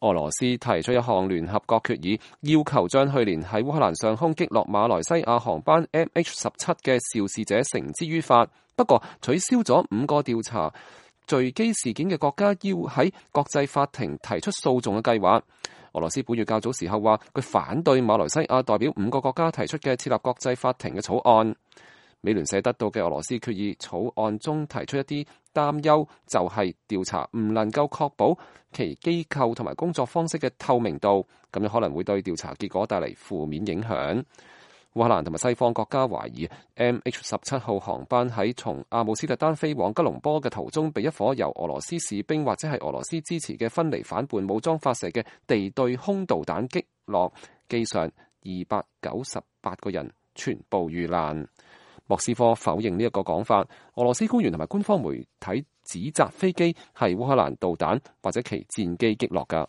俄羅斯提出一項聯合國決議，要求將去年喺烏克蘭上空擊落馬來西亞航班 MH17 嘅肇事者繩之於法。不過取消咗5個調查墜機事件嘅國家要喺國際法庭提出訴訟嘅計劃。俄羅斯本月較早時候話，佢反對馬來西亞代表5個國家提出嘅設立國際法庭嘅草案。美聯社得到嘅俄羅斯決議草案中提出一啲擔憂，就係調查唔能夠確保其機構同埋工作方式嘅透明度，咁樣可能會對調查結果帶嚟負面影響。烏克蘭同埋西方國家懷疑 MH17 號航班喺從阿姆斯特丹飛往吉隆坡嘅途中，被一顆由俄羅斯士兵或者係俄羅斯支持嘅分離反叛武裝發射嘅地對空導彈擊落，機上298個人全部遇難。莫斯科否認呢一個講法，俄羅斯官員同埋官方媒體指責飛機係烏克蘭導彈或者其戰機擊落㗎。